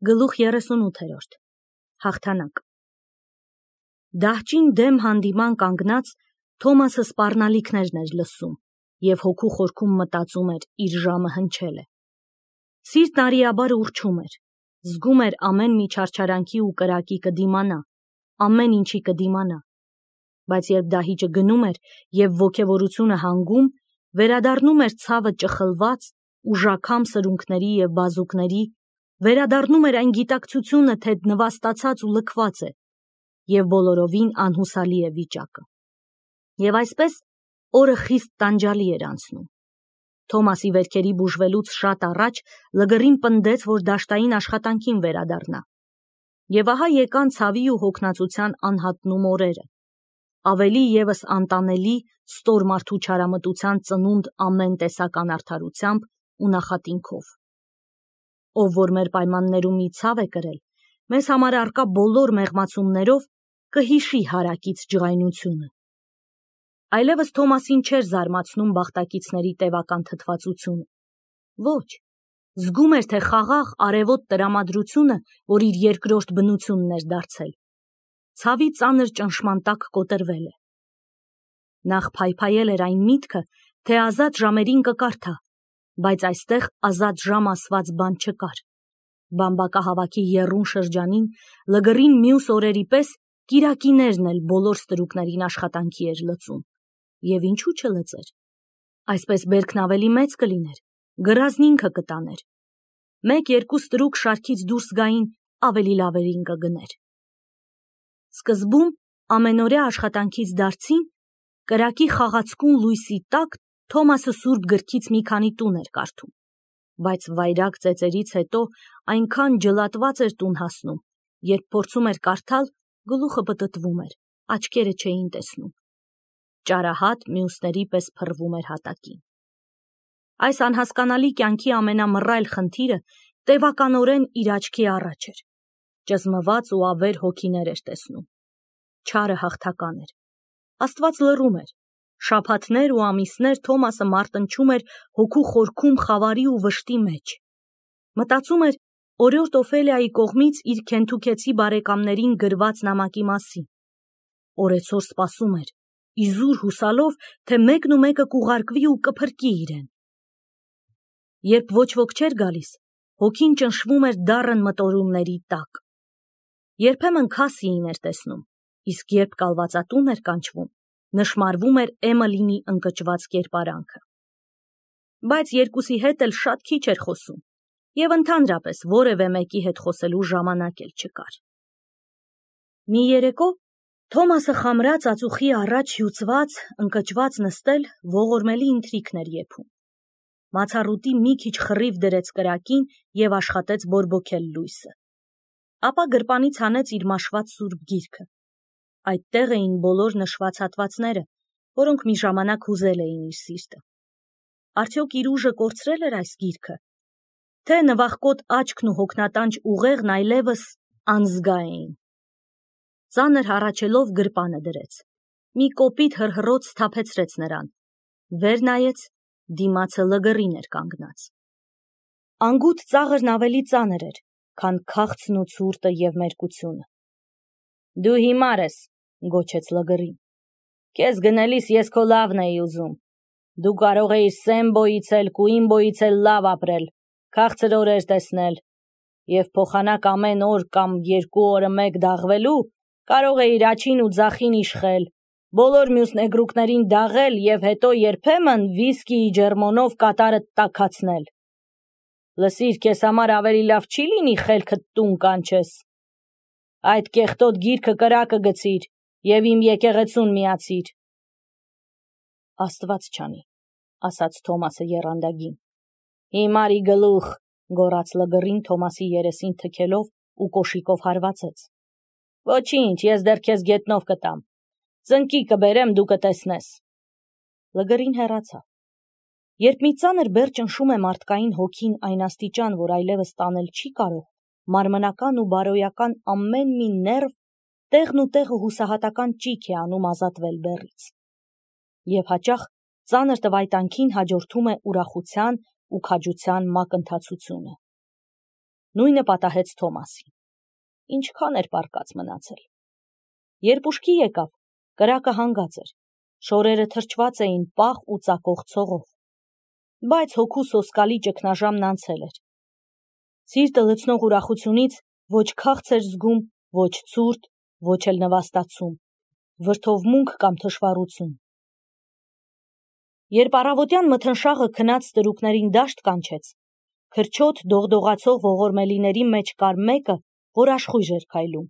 Գլուխ 38 Հաղթանակ Դահճին դեմ հանդիման կանգնած Թոմասը սպառնալիքներն էր լսում և հոգու խորքում մտածում էր իր ժամը հնչել է։ Սիրտն արիաբար ուռչում էր, զգում էր ամեն մի չարչարանքի ու կրակի կդիմանա, ամեն ինչի կդիմանա, բայց երբ դահիճը գնում էր և ոգևորությունը հանգում, վերադառնում էր ցավը ճխլված, ուժաքամ սրունքների և բազուկների, վերադառնում էր այն գիտակցությունը, թե նվաստացած ու լքված է, և բոլորովին անհուսալի է վիճակը։ Եվ այսպես օրը խիստ տանջալի էր անցնում։ Թոմասի վերքերի բուժվելուց շատ առաջ Լգռին պնդեց, որ դաշտային աշխատանքին վերադառնա։ Եվ ահա եկան ցավի ու հոգնածության անհատնում օրերը, ավելի ևս անտանելի ստոր մարդու չարամտության ծնունդ ամեն տեսակ անարդարությամբ ու նախատինքով։ Ով որ մեր պայմաններում մի ցավ է կրել, մեզ համար առկա բոլոր մեղմացումներով կհիշի հարակից ջղայնությունը։ Այլևս Թոմասին չէր զարմացնում բախտակիցների տևական թթվածությունը։ Ոչ, զգում էր, թե խաղաղ արևոտ տրամադրությունը, որ իր երկրորդ բնությունն էր դարձել, ցավի ծանր ճնշման տակ կոտրվել է։ Նախ փայփայել էր այն միտքը, թե ազատ ժամերին կկարդա, բայց այստեղ ազատ ժամ ասված բան չկար։ Բամբակահավաքի եռուն շրջանին Լգռին մյուս օրերի պես կիրակիներն էլ բոլոր ստրուկներին աշխատանքի էր լծում։ Եվ ինչու չլծեր։ Այսպես բերքն ավելի մեծ կլիներ, գրազն ինքը կտաներ։ 1-2 ստրուկ շարքից դուրս գային, ավելի լավերին կգներ։ Սկզբում ամենօրյա աշխատանքից դարձին կրակի խաղացկուն լույսի տակ Թոմասը սուրբ գրքից մի քանի տուն էր կարդում, բայց վայրագ ծեծերից հետո այնքան ջլատված էր տուն հասնում, երբ փորձում էր կարդալ, գլուխը պտտվում էր, աչքերը չէին տեսնում։ Ճարահատ մյուսների պես փռվում էր հատակին։ Այս անհասկանալի կյանքի ամենամռայլ խնդիրը տևականորեն իր աչքի առաջ էր։ Ճզմված ու ավեր հոգիներ էր տեսնում։ Չարը հաղթական էր։ Աստված լռում էր։ Շաբաթներ ու ամիսներ Թոմասը մարտնչում էր հոգու խորքում խավարի ու վշտի մեջ։ Մտածում էր օրիորդ Օֆելիայի կողմից իր քենթուքեցի բարեկամներին գրված նամակի մասին։ Օրեցօր սպասում էր, իզուր հուսալով, թե մեկն ու մեկը կուղարկվի ու կփրկի իրեն։ Երբ ոչ ոք չէր գալիս, հոգին ճնշվում էր դառն մտորումների տակ։ Երբեմն Քասիին էր տեսնում, իսկ երբ կալվածատուն էր կանչվում, նշմարվում էր Էմիլինի ընկճված կերպարանքը։ Բայց երկուսի հետ էլ շատ քիչ էր խոսում, և ընդհանրապես որևէ մեկի հետ խոսելու ժամանակ էլ չկար։ Մի երեկո Թոմասը խամրած ածուխի առաջ հյուծված, ընկճված նստել ողորմելի ընթրիքն էր եփում։ Մացառուտի մի քիչ խռիվ դրեց կրակին և աշխատեց բորբոքել լույսը։ Ապա գրպանից հանեց իր մաշված սուրբ գիրքը։ Այդտեղ էին բոլոր նշված հատվածները, որոնք մի ժամանակ հուզել էին իր սիրտը։ Արդյոք իր ուժը կորցրել էր այս գիրքը, թե նվախկոտ աչքն ու հոգնատանջ ուղեղն այլևս անզգա էին։ Ծանր հառաչելով գրպանը դրեց։ Մի կոպիտ հռհռոց սթափեցրեց նրան։ Վեր նայեց, դիմացը Լգռին էր կանգնած։ Անգութ ծաղրն ավելի ծանր էր, քան քաղցն ու ցուրտը և մերկությունը։ Դու հիմար ես, գոչեց Լգռին։ Քեզ գնելիս ես քո լավն էի ուզում։ Դու կարող էիր Սեմբոյից էլ, Կուիմբոյից էլ լավ ապրել, քաղցր օրեր տեսնել, և փոխանակ ամեն օր կամ 2 օրը մեկ դաղվելու կարող էիր աջին ու ձախին իշխել, բոլոր մյուս նեգրուկներին դաղել և հետո երբեմն վիսկիի ջերմոնով կատարդ տաքացնել։ Լսիր, քեզ համար ավելի լավ չի լինի խելքդ տուն կանչես։ Այդ կեղտոտ գիրքը կրակը գցիր և իմ եկեղեցուն միացիր։ Աստված չանի, ասաց Թոմասը եռանդագին։ Հիմարի գլուխ, գոռաց Լգռին Թոմասի երեսին թքելով ու կոշիկով հարվածեց։ Ոչինչ, ես դեռ քեզ գետնով կտամ։ Ծնկի կբերեմ, դու կտեսնես։ Լգռին հեռացավ։ Երբ մի ծանր բեռ ճնշում է մարդկային հոգին այն աստիճան, որ այլևս տանել չի կարող, մարմնական ու բարոյական ամեն մի ներվ տեղն ու տեղը հուսահատական ճիք է անում ազատվել բեռից։ Եվ հաճախ ծանր տվայտանքին հաջորդում է ուրախության ու քաջության մակընթացությունը։ Նույնը պատահեց Թոմասին։ Ինչքան էր պառկած մնացել։ Երբ ուշքի եկավ, կրակը հանգած էր, շորերը թրջված էին պաղ ու ծակող ցողով, բայց հոգու սոսկալի ճգնաժամն անցել էր։ Սիրտը լցնող ուրախությունից ոչ քաղց էր զգում, ոչ ցուրտ, ոչ էլ նվաստացում, վրդովմունք կամ թշվառություն։ Երբ առավոտյան մթնշաղը քնած ստրուկներին դաշտ կանչեց, քրչոտ դողդողացող ողորմելիների մեջ կար մեկը, որ աշխույժ էր քայլում։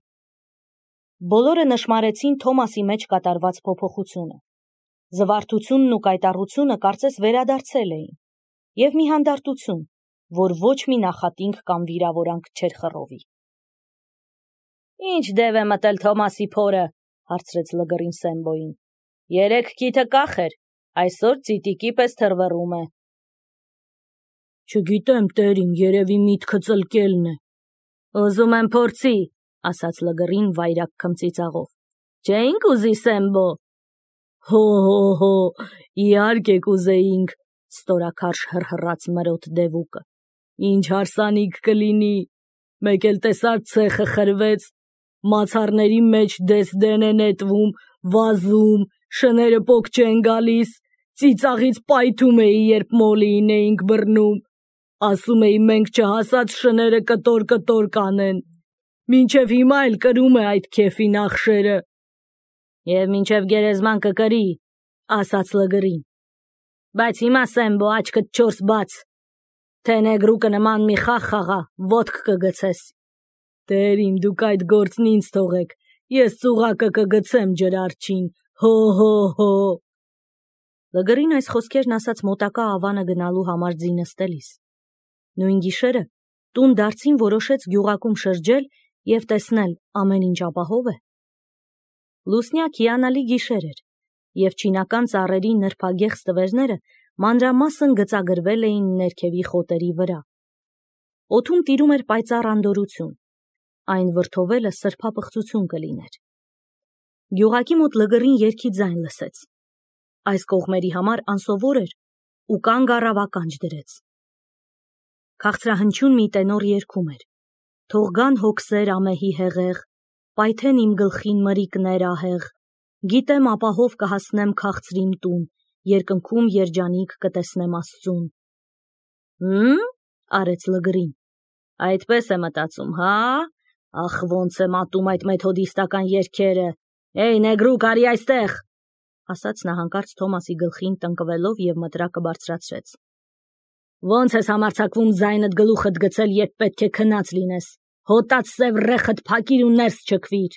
Բոլորը նշմարեցին Թոմասի մեջ կատարված փոփոխությունը։ Զվարթությունն ու կայտառությունը կարծես վերադարձել էին, և մի հանդարտություն, որ ոչ մի նախատինք կամ վիրավորանք չէր խռովի։ «Ինչ դև է մտել Թոմասի փորը», հարցրեց Լգռին Սեմբոյին։ «Երեկ քիթը կախ էր, այսօր ծիտիկի պես թռվռում է»։ «Չգիտեմ, տերին, երևի միտքը ծլկելն է»։ «Ուզում եմ փորձի», ասաց Լգռին վայրագ քմծիծաղով։ «Չէինք ուզի, Սեմբո»։ «Հո, իհարկե կուզեինք», ստորաքարշ հռհռաց մրոտ դևուկը։ «Ինչ հարսանիք կլինի, մեկ էլ տեսար ցեխը խրվեց, մացառների մեջ դես-դեն է նետվում, վազում, շները պոկ չեն գալիս, ծիծաղից պայթում էի, երբ մոլիին էինք բռնում, ասում էի մենք չհասած շները կտոր-կտոր կանեն, մինչև հիմա էլ կրում է այդ քեֆի նախշերը»։ «Եվ մինչև գերեզման կկրի», ասաց Լգռին։ «Բայց հիմա, Սեմբո, աչքդ չորս բաց, թե նեգրուկը նման մի խաղ խաղա, ոտք կգցես»։ «Տերիմ, դուք այդ գործն ինձ թողեք, ես ծուղակը կգցեմ ջրարջին, հո։ Լգռին այս խոսքերն ասաց մոտակա ավանը գնալու համար ձինը ստելիս։ Նույն գիշերը տուն դարձին որոշեց գյուղակում շրջել և տեսնել ամեն ինչ ապահով է։ Լուսնյակ հիանալի գիշեր էր, և չինական ծառերի նրբագեղ ստվերները մանրամասն գծագրվել էին ներքևի խոտերի վրա։ Օդում տիրում էր պայծառ անդորրություն, այն վրդովելը սրբապղծություն կլիներ։ Գյուղակի մոտ Լգռին երգի ձայն լսեց։ Այս կողմերի համար անսովոր էր ու կանգ առավ ականջ դրեց։ Քաղցրահնչյուն մի տենոր երգում էր. «Թող գան հոգսեր ամեհի հեղեղ, պայթեն իմ գլխին մրիկներ ահեղ, գիտեմ ապահով կհասնեմ քաղցրիմ տուն, երկնքում երջանիկ կտեսնեմ Աստծուն»։ Արեց Լգռին։ «Այդպես է մտածում, հա՞։ Ախ, ոնց եմ ատում այդ մեթոդիստական երգերը։ Էյ, նեգրուկ, արի այստեղ», ասաց նա հանկարծ Թոմասի գլխին տնկվելով և մտրակը բարձրացրեց։ «Ոնց ես համարձակվում ձայնդ գլուխդ գցել, երբ պետք է քնած լինես։ Հոտած սև ռեխդ փակիր ու ներս չքվիր»։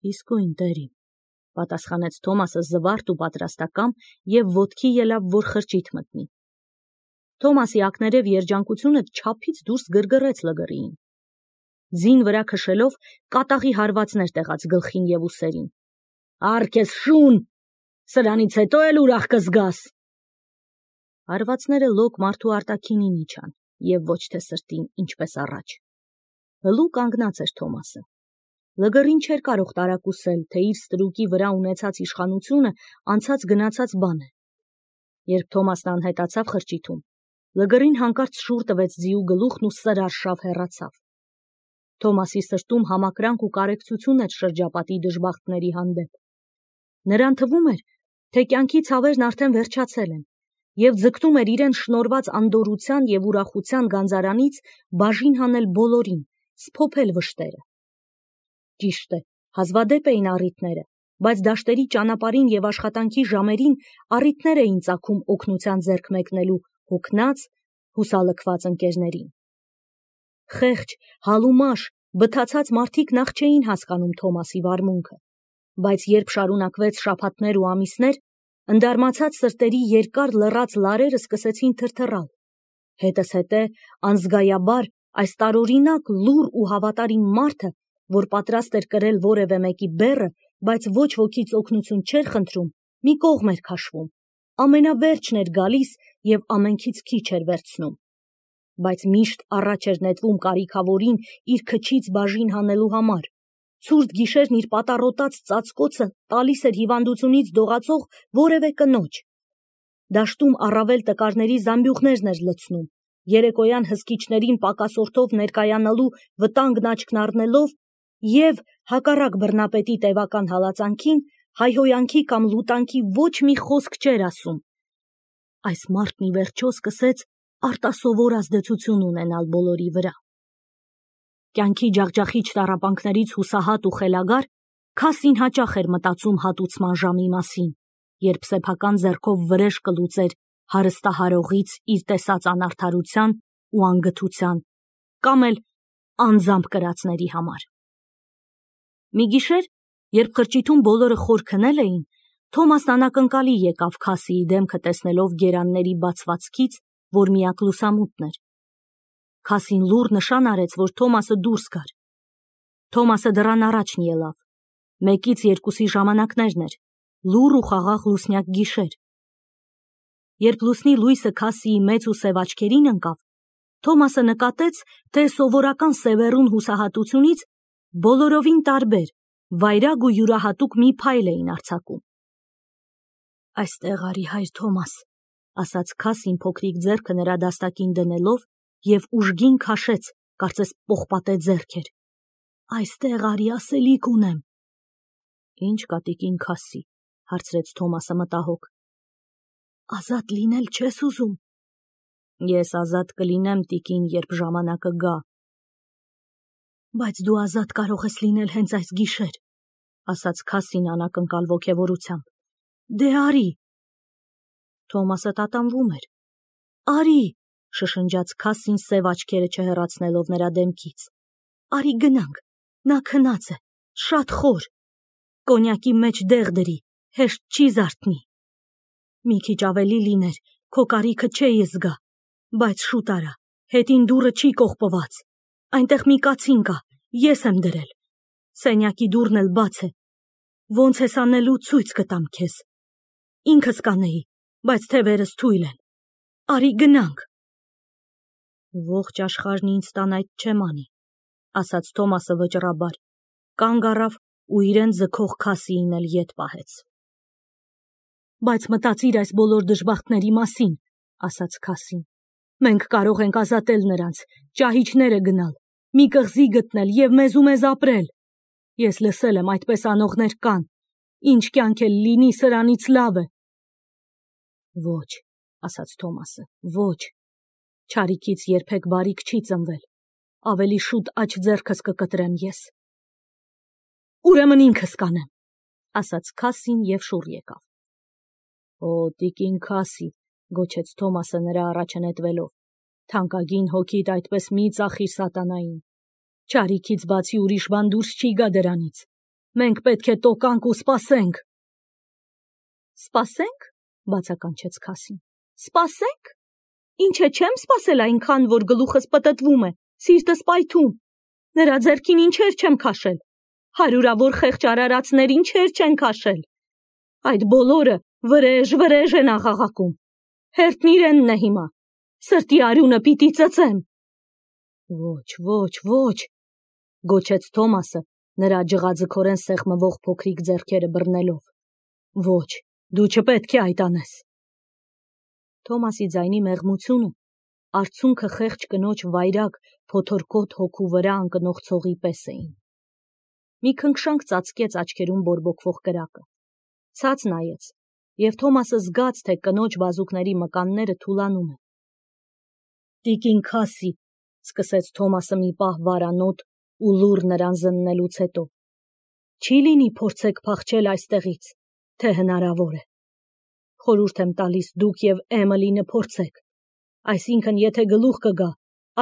«Իսկույն, տերին», պատասխանեց Թոմասը զվարթ ու պատրաստակամ և ոտքի ելավ, որ խրճիթ մտնի։ Թոմասի ակներև երջանկությունը չափից դուրս գրգռեց Լգռիին։ Ձին վրա քշելով կատաղի հարվածներ տեղաց գլխին և ուսերին։ «Առ քեզ շուն, սրանից հետո էլ ուրախ կզգաս»։ Հարվածները լոկ մարդու արտաքինին իջան և ոչ թե սրտին, ինչպես առաջ։ Հլու կանգնած էր Թոմասը։ Լգռին չէր կարող տարակուսել, թե իր ստրուկի վրա ունեցած իշխանությունը անցած գնացած բան է։ Երբ Թոմասն անհետացավ խրճիթում, Լգռին հանկարծ շուռ տվեց ձիու գլուխն ու սրարշավ հեռացավ։ Թոմասի սրտում համակրանք ու կարեկցություն էր շրջապատի դժբախտների հանդեպ։ Նրան թվում էր, թե կյանքի ցավերն արդեն վերջացել են, և ձգտում էր իրեն շնորհված անդորրության և ուրախության գանձարանից բաժին հանել բոլորին, սփոփել վշտերը։ Ճիշտ է, հազվադեպ էին առիթները, բայց դաշտերի ճանապարհին և աշխատանքի ժամերին առիթներ էին ծագում օգնության ձեռք մեկնելու հոգնած, հուսալքված ընկերներին։ Խեղճ, հալումաշ, բթացած մարդիկ նախ չէին հասկանում Թոմասի վարմունքը, բայց երբ շարունակվեց շաբաթներ ու ամիսներ, ընդարմացած սրտերի երկար լռած լարերը սկսեցին թրթռալ։ Հետզհետե անզգայաբար այս տարօրինակ լուռ ու հավատարիմ մարդը, որ պատրաստ էր կրել որևէ մեկի բեռը, բայց ոչ wokից օգնություն չէր խնդրում, մի կողմ էր քաշվում, ամենավերջն էր գալիս և ամենքից քիչ էր վերցնում, բայց միշտ առաջ էր նետվում կարիքավորին իր քչից բաժին հանելու համար։ Ցուրտ գիշերն իր պատառոտած ծածկոցը տալիս էր հիվանդությունից դողացող որևէ կնոջ։ Դաշտում առավել տկարների զամբյուղներն էր լցնում, երեկոյան հսկիչներին պակասորդով ներկայանալու վտանգն աչքն առնելով և հակառակ բռնապետի տևական հալածանքին հայհոյանքի կամ լուտանքի ոչ մի խոսք չէր ասում։ Այս մարդն ի վերջո սկսեց արտասովոր ազդեցություն ունենալ բոլորի վրա։ Կյանքի ջախջախիչ տառապանքներից հուսահատ ու խելագար, Քասին հաճախ էր մտածում հատուցման ժամի մասին, երբ սեփական ձեռքով վրեժ կլուծեր հարստահարողից իր տեսած անարդարության ու անգթության կամ էլ անձամբ կրածների համար։ Մի գիշեր, երբ խրճիթում բոլորը խոր քնել էին, Թոմասն անակնկալի եկավ Քասիի դեմքը տեսնելով գերանների բացվածքից, որ միակ լուսամուտն էր։ Քասին լուռ նշան արեց, որ Թոմասը դուրս գար։ Թոմասը դռան առաջն ելավ։ 1-ից 2-ի ժամանակներն էր, լուռ ու խաղաղ լուսնյակ գիշեր։ Երբ լուսնի լույսը Քասիի մեծ ու սև աչքերին ընկավ, Թոմասը նկատեց, թե սովորական սևեռուն հուսահատությունից բոլորովին տարբեր, վայրագ ու յուրահատուկ մի փայլ էին արձակում։ «Այստեղ արի, հայր Թոմաս», ասաց Քասին փոքրիկ ձեռքը նրա դաստակին դնելով և ուժգին քաշեց, կարծես պողպատե ձեռք էր։ «Այստեղ արի, ասելիք ունեմ»։ «Ինչ կա, տիկին Քասի», հարցրեց Թոմասը մտահոգ։ «Ազատ լինել չես ուզում»։ «Ես ազատ կլինեմ, տիկին, երբ ժամանակը գա»։ «Բայց դու ազատ կարող ես լինել հենց այս գիշեր», ասաց Քասին անակնկալ ոգևորությամբ։ «Դե արի»։ Թոմասը տատանվում էր։ «Արի», շշնջաց Քասին սև աչքերը չհեռացնելով նրա դեմքից։ «Արի գնանք, նա քնած է, շատ խոր։ Կոնյակի մեջ դեղ դրի, հեշտ չի զարթնի։ Մի քիչ ավելի լիներ, քո կարիքը չէի զգա, բայց շուտ արա, հետին դուռը չի կողպված։ Այնտեղ մի կացին կա, ես եմ դրել։ Սենյակի դուռն էլ բաց է։ Ոնց ես անելու, ցույց կտամ քեզ։ Ինքս կանեի, բայց թևերս թույլ են։ Արի գնանք»։ «Ողջ աշխարհն ինձ տան այդ չեմ անի», ասաց Թոմասը վճռաբար, կանգ առավ ու իրեն ձգող Քասիին էլ ետ պահեց։ «Բայց մտածիր այս բոլոր դժբախտների մասին», ասաց Քասին։ «Մենք կարող ենք ազատել նրանց, ճահիճները գնալ, մի կղզի գտնել և մեզ ապրել։ Ես լսել եմ, այդպես անողներ կան, ինչ կյանք էլ լինի, սրանից լավ է»։ «Ոչ», ասաց Թոմասը, «ոչ, չարիքից երբեք բարիք չի ծնվել, ավելի շուտ աջ ձեռքս կկտրեմ ես»։ «Ուրեմն ինքս կանեմ», ասաց Քասին և շուռ եկավ։ «Օ, տիկին Քասի», գոչեց Թոմասը նրա առաջը նետվելով, «թանկագին հոգիդ այդպես մի ծախիր սատանային։ Չարիքից բացի ուրիշ բան դուրս չի գա դրանից։ Մենք պետք է տոկանք ու սպասենք»։ «Սպասե՞նք», բացականչեց Քասին։ «Սպասե՞նք։ Ինչ է, չեմ սպասել այնքան, որ գլուխս պտտվում է, սիրտս պայթում։ Նրա ձեռքին ինչեր չեմ քաշել, հարյուրավոր խեղճ արարածներ ինչեր չեն քաշել։ Այդ բոլորը վրեժ են աղաղակում։ Հերթն իրենն է հիմա, սրտի արյունը պիտի ծծեմ»։ «Ոչ, ոչ, ոչ», գոչեց Թոմասը, նրա ջղաձգորեն սեղմվող փոքրիկ ձեռքերը բռնելով։ «Ոչ, դու չպետք է այդ անես»։ Թոմասի ձայնի մեղմությունը արցունքը խեղճ կնոջ վայրագ, փոթորկոտ հոգու վրա ընկնող ցողի պես էին։ Մի քնքշանք ծածկեց աչքերում բորբոքվող կրակը։ Ցած նայեց, և Թոմասը զգաց, թե կնոջ բազուկների մկանները թուլանում են։ «Տիկին Քասի», սկսեց Թոմասը մի պահ վարանոտ ու լուռ նրան զննելուց հետո, «չի լինի փորձեք փախչել այստեղից, թե հնարավոր է։ Խորհուրդ եմ տալիս դուք և Էմիլին փորձեք, այսինքն եթե գլուխ կգա,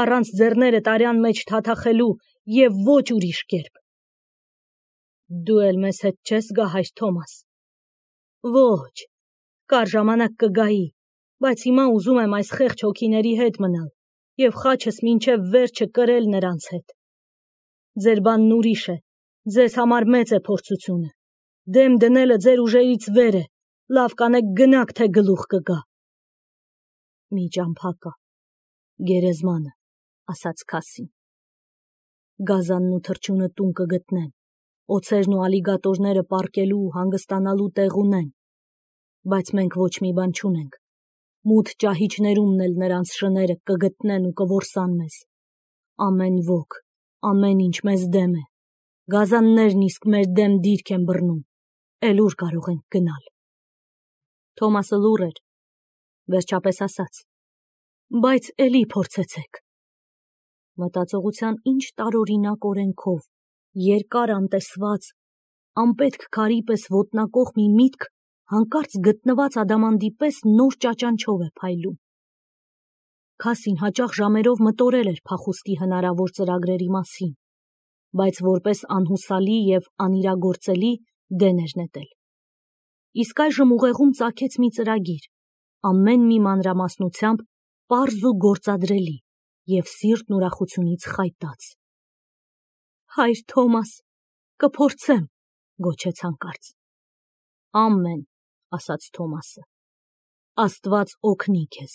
առանց ձեռները տարյան մեջ թաթախելու և ոչ ուրիշ կերպ։ Դու էլ մեզ հետ չես գա, հայր Թոմաս։ Ոչ, կար ժամանակ կգայի, բայց հիմա ուզում եմ այս խեղճ հոգիների հետ մնալ և խաչս մինչև վերջը կրել նրանց հետ։ Ձեր բանն ուրիշ է, ձեզ համար մեծ է փորձությունը, դեմ դնելը ձեր ուժերից վեր է, լավ կանեք գնաք, թե գլուխ կգա»։ «Մի ճամփա կա, գերեզմանը», ասաց Քասին։ «Գազանն ու թռչունը տուն կգտնեն, օձերն ու ալիգատորները պառկելու ու հանգստանալու տեղ ունեն, բայց մենք ոչ մի բան չունենք, Մութ ճահիճներումն էլ նրանց շները կգտնեն ու կորսան մեզ։ Ամեն ոք, ամեն ինչ մեզ դեմ է։ Գազաններն իսկ մեր դեմ դիրք են բռնում, էլ ուր կարող ենք գնալ։ Թոմասը լուռ էր, վերջապես ասաց. Բայց էլի փորձեցեք։ Մտածողության ինչ տարօրինակ օրենքով, երկար անտեսված, անպետք քարի պես ոտնակող մի միտք հանկարծ գտնված ադամանդի պես նոր ճաճանչով է փայլում։ Քասին հաճախ ժամերով մտորել էր փախուստի հնարավոր ծրագրերի մասին, բայց որպես անհուսալի և անիրագործելի դեն էր նետել։ Իսկ այժմ ուղեղում ծագեց մի ծրագիր, ամեն մի մանրամասնությամբ պարզ ու գործադրելի և սիրտն ուրախությունից խայտած։ Հայր Թոմաս, կփորձեմ, գոչեց հանկարծ։ Ամեն, ասաց Թոմասը, Աստված օգնի քեզ։